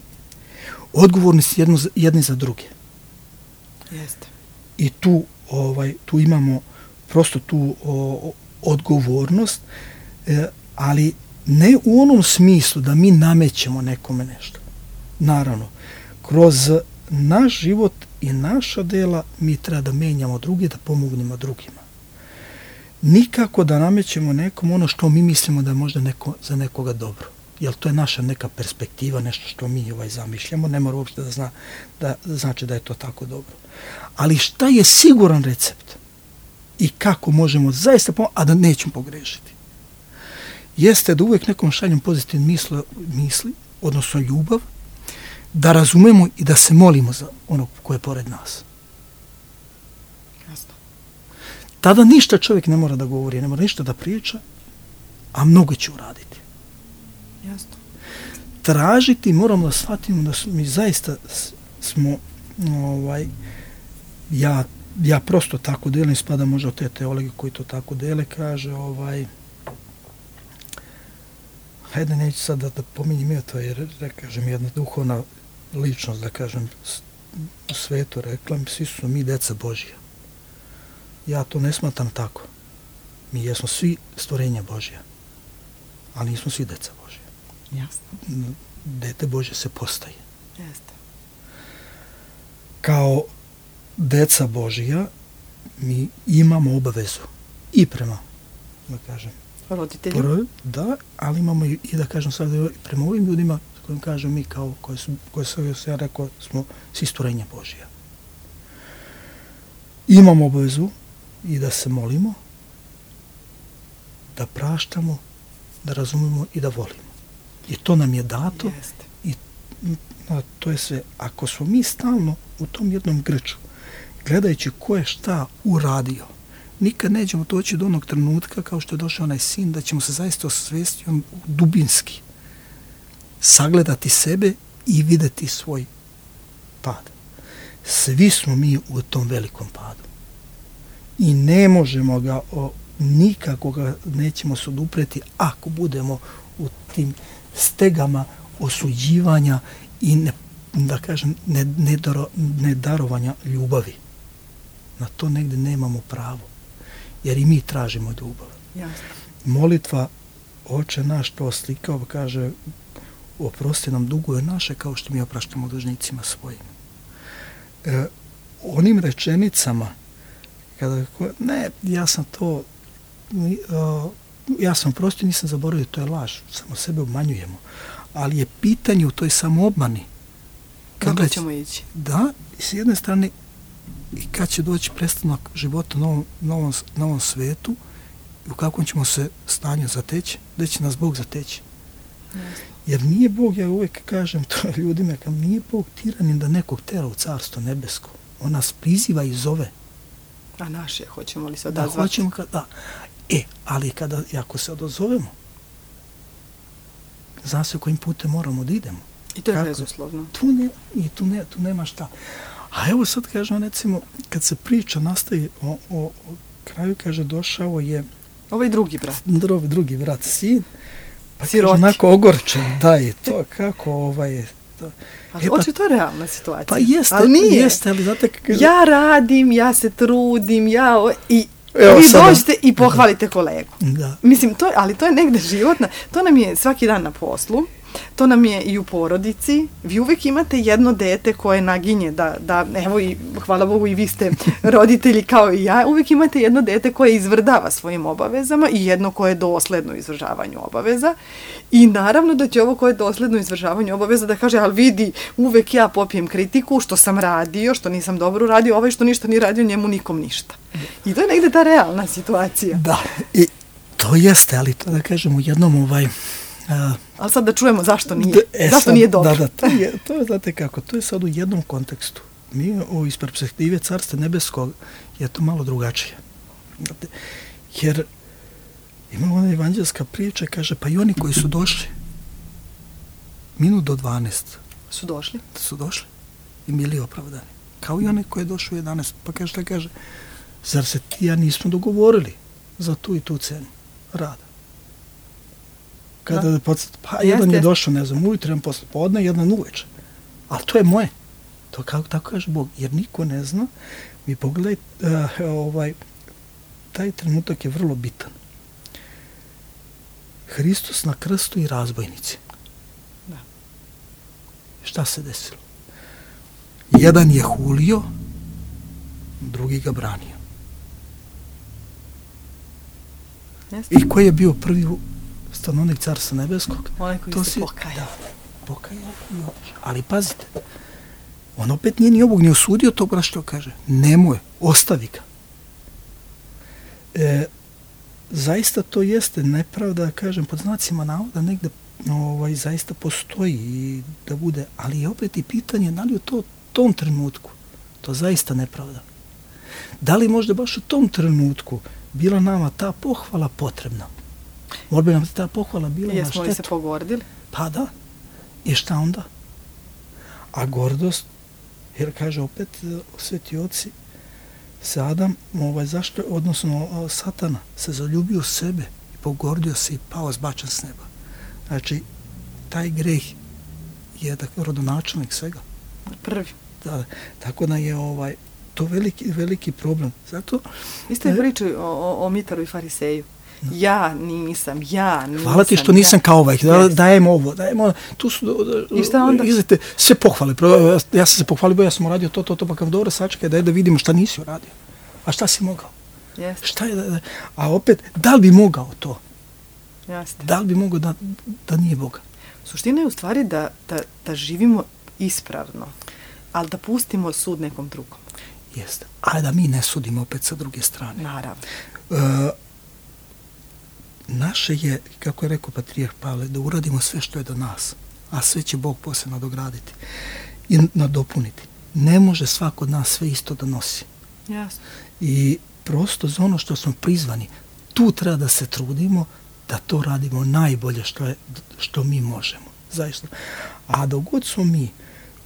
odgovorni su jedno, jedni za druge. Jeste. I tu, ovaj, tu imamo prosto tu o, odgovornost, e, ali ne u onom smislu da mi namećemo nekome nešto. Naravno, kroz naš život i naša dela mi treba da menjamo druge, da pomognemo drugima. Nikako da namećemo nekom ono što mi mislimo da je možda neko, za nekoga dobro. Jer to je naša neka perspektiva, nešto što mi ovaj zamišljamo, ne mora uopšte da, zna, da znači da je to tako dobro. Ali šta je siguran recept i kako možemo zaista pomoći, a da nećemo pogrešiti? Jeste da uvijek nekom šaljem pozitivne misli, misli, odnosno ljubav, da razumemo i da se molimo za onog koje je pored nas. Jasno. Tada ništa čovjek ne mora da govori, ne mora ništa da priča, a mnogo će uraditi. Jasno. Tražiti, moramo da shvatimo da su, mi zaista smo, ovaj, ja, ja prosto tako delim, spada možda od te teologe koji to tako dele, kaže, ovaj, hajde, neću sad da, da pominjem ja to, jer, da kažem, jedna duhovna ličnost, da kažem, u svetu rekla, svi su mi deca Božija. Ja to ne smatram tako. Mi jesmo svi stvorenja Božija, ali nismo svi deca Božija. Jasno. Dete Božje se postaje. Jeste. Kao deca Božija mi imamo obavezu i prema, da kažem, roditelju. Prvi, da, ali imamo i, i da kažem sad prema ovim ljudima s kojim kažem mi kao, koji su, koji su, ja rekao, smo svi stvorenja Božija. Imamo obavezu i da se molimo, da praštamo, da razumemo i da volimo. I to nam je dato. Jeste. I no, to je sve. Ako smo mi stalno u tom jednom grču, gledajući ko je šta uradio, nikad nećemo doći do onog trenutka kao što je došao onaj sin, da ćemo se zaista osvijestiti on dubinski, sagledati sebe i vidjeti svoj pad. Svi smo mi u tom velikom padu. I ne možemo ga, o, nikako ga nećemo se odupreti ako budemo u tim stegama osuđivanja i ne, da kažem ne, ne, daro, ne darovanja ljubavi. Na to negdje nemamo pravo. Jer i mi tražimo ljubav. Jasno. Molitva Oče naš to slikao, kaže oprosti nam dugove naše kao što mi opraštamo dužnicima svojim. E, onim rečenicama kada ne, ja sam to uh, ja sam oprostio, nisam zaboravio, to je laž, samo sebe obmanjujemo. Ali je pitanje u toj samoobmani. Kako ćemo ići? Da, i s jedne strane i kad će doći prestanak života na ovom, na ovom, na ovom svetu i u kakvom ćemo se stanju zateći, da će nas Bog zateći. Jasno. Jer nije Bog, ja uvijek kažem to ljudima, kao nije Bog tiranin da nekog tera u carstvo nebesko. On nas priziva i zove. A naš je, hoćemo li se da, odazvati? Hoćemo, da. E, ali kada, ako se odozovemo, zna se kojim putem moramo da idemo. I to je Kako? bezuslovno. Tu, ne, i tu, ne, tu nema šta. A evo sad kažem, recimo, kad se priča nastavi o, o, o kraju, kaže, došao je Ovaj drugi brat. Drugi, drugi brat, sin, pa Siroti. kaže, onako ogorčen, da je to, kako ovaj... To. Ali E, pa, očito je realna situacija. pa jeste, ali nije. jeste, ali znate kako... Ja radim, ja se trudim, ja... O, I Evo, vi sada. dođete i pohvalite kolegu. Da. Mislim, to, ali to je negde životna, to nam je svaki dan na poslu, to nam je i u porodici. Vi uvek imate jedno dete koje naginje da, da, evo i hvala Bogu i vi ste roditelji kao i ja, uvek imate jedno dete koje izvrdava svojim obavezama i jedno koje je dosledno u izvršavanju obaveza. I naravno da će ovo koje je dosledno u izvršavanju obaveza da kaže, ali vidi, uvek ja popijem kritiku što sam radio, što nisam dobro radio, ovaj što ništa ni radio, njemu nikom ništa. I to je negde ta realna situacija. Da, i to jeste, ali to da kažem u jednom ovaj... A, ali sad da čujemo zašto nije, e, zašto sad, nije dobro. Da, da, to je, to je, znate kako, to je sad u jednom kontekstu. Mi u iz perspektive Carstva nebeskog je to malo drugačije. Znate, jer ima ona evanđelska priča, kaže, pa i oni koji su došli minut do dvanaest su došli, su došli i bili opravdani. Kao i oni koji je došao u jedanaest, pa kaže, šta kaže, zar se ti ja nismo dogovorili za tu i tu cenu rada? Kada da podsjeti, pa jeste, jedan je jeste. došao, ne znam, ujutro, jedan posle podne, jedan uveče. Ali to je moje. To kako tako kaže Bog, jer niko ne zna. Mi pogledaj, uh, ovaj, taj trenutak je vrlo bitan. Hristos na krstu i razbojnici. Da. Šta se desilo? Jedan je hulio, drugi ga branio. Jeste. I koji je bio prvi stanovnik Carstva nebeskog? Onaj koji to se si, pokajao. Da, pokajao i otišao. Ali pazite, on opet nije ni ovog ni osudio to bra što kaže. Nemoj, ostavi ga. E, zaista to jeste nepravda, kažem, pod znacima navoda negde ovaj, zaista postoji i da bude, ali je opet i pitanje da li u to, tom trenutku to zaista nepravda. Da li možda baš u tom trenutku bila nama ta pohvala potrebna? Možda bi nam ta pohvala bila na štetu. Jesmo li se pogordili? Pa da. I šta onda? A gordost, jer kaže opet sveti oci, se Adam, ovaj, zašto, odnosno Satana, se zaljubio u sebe i pogordio se i pao zbačan s neba. Znači, taj greh je da, rodonačelnik svega. Prvi. Da, tako da je ovaj, to veliki, veliki problem. Zato... Vi ste pričali o, o, o Mitaru i Fariseju. Ja nisam, ja nisam. Hvala ti što nisam ja. kao ovaj, da, dajem ovo, dajem ovo. Tu su, i šta onda? Izlete, sve pohvale. Ja sam se pohvalio, ja sam uradio to, to, to, pa kao dobro, sačekaj, daj da vidimo šta nisi uradio. A šta si mogao? Jeste. Šta je, da, a opet, da li bi mogao to? Jeste. Da li bi mogao da, da nije Boga? Suština je u stvari da, da, da živimo ispravno, ali da pustimo sud nekom drugom. Jeste. A da mi ne sudimo opet sa druge strane. Naravno. Uh, naše je, kako je rekao Patrijarh Pavle, da uradimo sve što je do nas, a sve će Bog posle nadograditi i nadopuniti. Ne može svako od nas sve isto da nosi. Jasno. I prosto za ono što smo prizvani, tu treba da se trudimo da to radimo najbolje što, je, što mi možemo. Zaista. A dok god smo mi,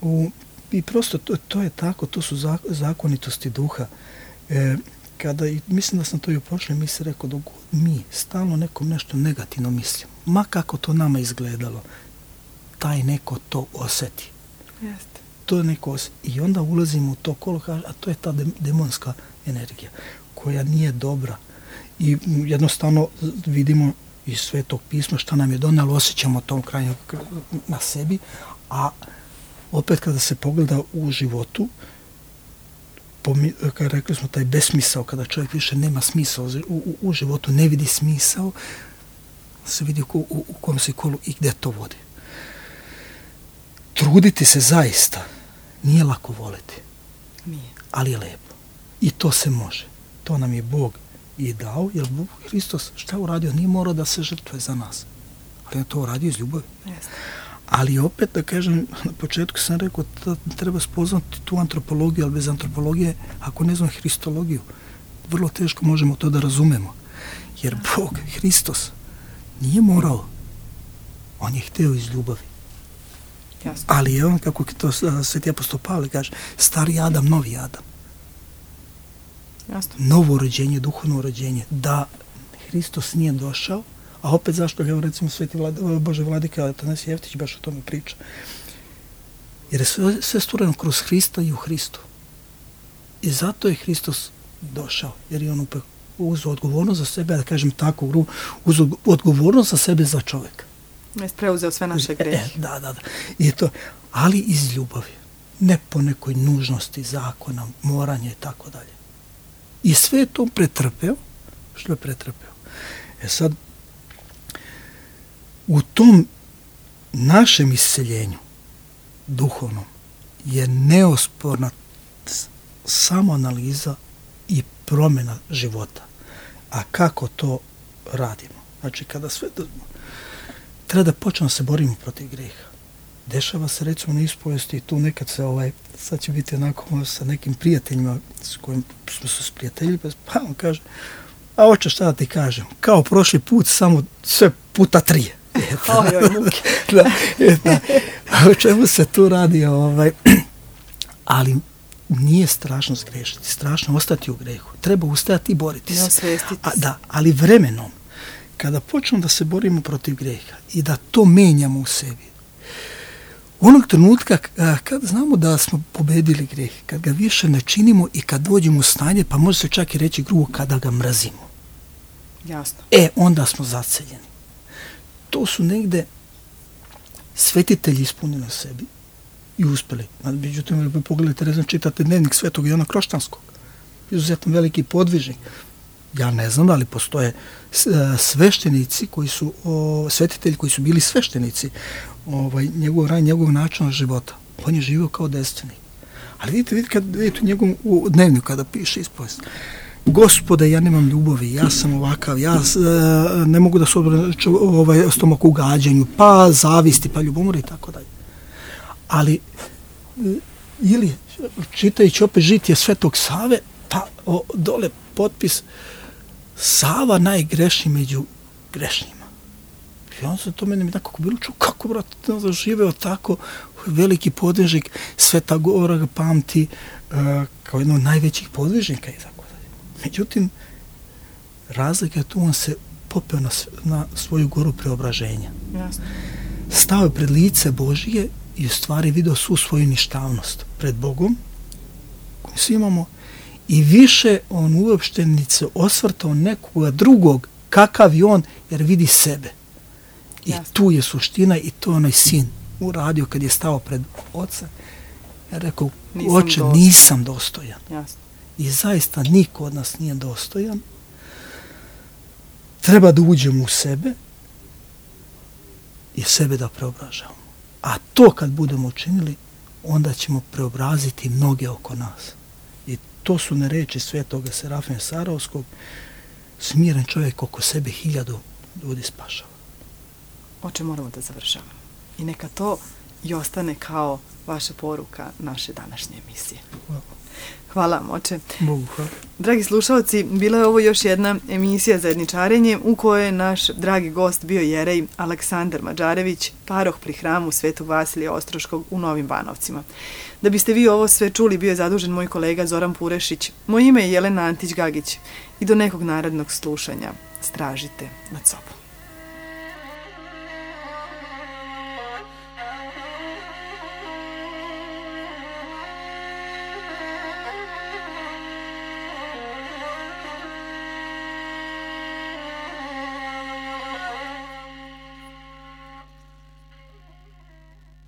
u, i prosto to, to je tako, to su zakonitosti duha. E, kada, i mislim da sam to i u prošloj misli rekao, dok mi stalno nekom nešto negativno mislimo, ma kako to nama izgledalo, taj neko to osjeti. Jeste. To je neko osjeti. I onda ulazimo u to kolo, a to je ta demonska energija, koja nije dobra. I jednostavno vidimo iz Svetog pisma šta nam je donalo, osjećamo tom krajnju na sebi, a opet kada se pogleda u životu, Pomi, kada rekli smo taj besmisao, kada čovjek više nema smisao u, u, u životu, ne vidi smisao, se vidi u, u, u kom se kolu i gdje to vodi. Truditi se zaista nije lako voliti. Nije. Ali je lepo. I to se može. To nam je Bog i dao, jer Bog Hristos šta je uradio? Nije morao da se žrtvuje za nas. Ali je to uradio iz ljubavi. Jeste. Ali opet, da kažem, na početku sam rekao da treba spoznati tu antropologiju, ali bez antropologije, ako ne znam hristologiju, vrlo teško možemo to da razumemo. Jer Bog, Hristos, nije morao. On je hteo iz ljubavi. Jasno. Ali je on, kako to Sveti apostol Pavle kaže, stari Adam, novi Adam. Jasno. Novo rođenje, duhovno rođenje. Da Hristos nije došao, a opet zašto, evo recimo Sveti Vlad, Bože Vladika Atanasije Jeftić baš o tome priča. Jer je sve, sve stvoreno kroz Hrista i u Hristu. I zato je Hristos došao, jer je on upek uzeo odgovornost za sebe, da kažem tako, uzeo odgovornost za sebe za čovjeka. Jeste preuzeo sve naše grehe. E, da, da, da. I to, ali iz ljubavi. Ne po nekoj nužnosti, zakona, moranja i tako dalje. I sve je to pretrpeo, što je pretrpeo. E sad, u tom našem isceljenju, duhovnom, je neosporna samoanaliza i promjena života. A kako to radimo? Znači, kada sve to... Treba da počnemo se borimo protiv greha. Dešava se, recimo, na ispovesti i tu nekad se, ovaj, sad će biti onako sa nekim prijateljima s kojim smo se sprijateljili, pa on kaže, a oče, šta da ti kažem, kao prošli put, samo sve puta tri. Oj, oj, muke. Da, da. A o čemu se tu radi? Ovaj, ali nije strašno zgrešiti, strašno ostati u grehu. Treba ustajati i boriti se. Osvestiti A, da, ali vremenom, kada počnemo da se borimo protiv greha i da to menjamo u sebi, onog trenutka kad znamo da smo pobedili greh, kad ga više ne činimo i kad dođemo u stanje, pa može se čak i reći grubo, kada ga mrazimo. Jasno. E, onda smo zaceljeni. To su negde svetitelji ispunili na sebi i uspeli. Međutim, pogledajte, rezno, čitate dnevnik Svetog Jovana Kroštanskog. Izuzetno veliki podvižnik. Ja ne znam da li postoje sveštenici koji su, o, svetitelji koji su bili sveštenici ovaj, njegov raj, njegov način života. On je živio kao desetvenik. Ali vidite, vidite, kad vidite u njegovom u dnevniku kada piše ispovest. Gospode, ja nemam ljubavi, ja sam ovakav, ja e, ne mogu da se odbraću ovaj, stomak u gađanju, pa zavisti, pa ljubomori i tako dalje. Ali, ili čitajući opet žitije Svetog Save, pa o, dole potpis Sava najgrešniji među grešnjima. I on se to meni nekako bilo čuo, kako, brate, da živeo tako, veliki podvižnik, Sveta Gora ga pamti uh, kao jedno od najvećih podvižnika i tako dalje. Međutim, razlika je tu, on se popeo na, na svoju goru preobraženja. Jasno. Stao je pred lice Božije i u stvari vidio svu svoju ništavnost pred Bogom, koju svi imamo, i više on uopšte ni se osvrtao nekoga drugog, kakav je on, jer vidi sebe. I Jasne. Tu je suština i to onaj sin uradio kad je stao pred oca. Ja rekao, nisam oče, dostojan. nisam dostojan. Jasne. I zaista niko od nas nije dostojan. Treba da uđemo u sebe i sebe da preobražavamo. A to kad budemo učinili, onda ćemo preobraziti mnoge oko nas. I to su ne reči svetoga Serafima Sarovskog, smiren čovjek oko sebe hiljadu ljudi spašava. Oče, moramo da završavamo. I neka to i ostane kao vaša poruka naše današnje emisije. Hvala. Hvala vam, oče. Bogu hvala. Dragi slušalci, bila je ovo još jedna emisija Zajedničarenje u kojoj je naš dragi gost bio jerej Aleksandar Mađarević, paroh pri hramu Svetog Vasilija Ostroškog u Novim Banovcima. Da biste vi ovo sve čuli, bio je zadužen moj kolega Zoran Purešić. Moje ime je Jelena Antić-Gagić i do nekog narednog slušanja stražite nad sobom.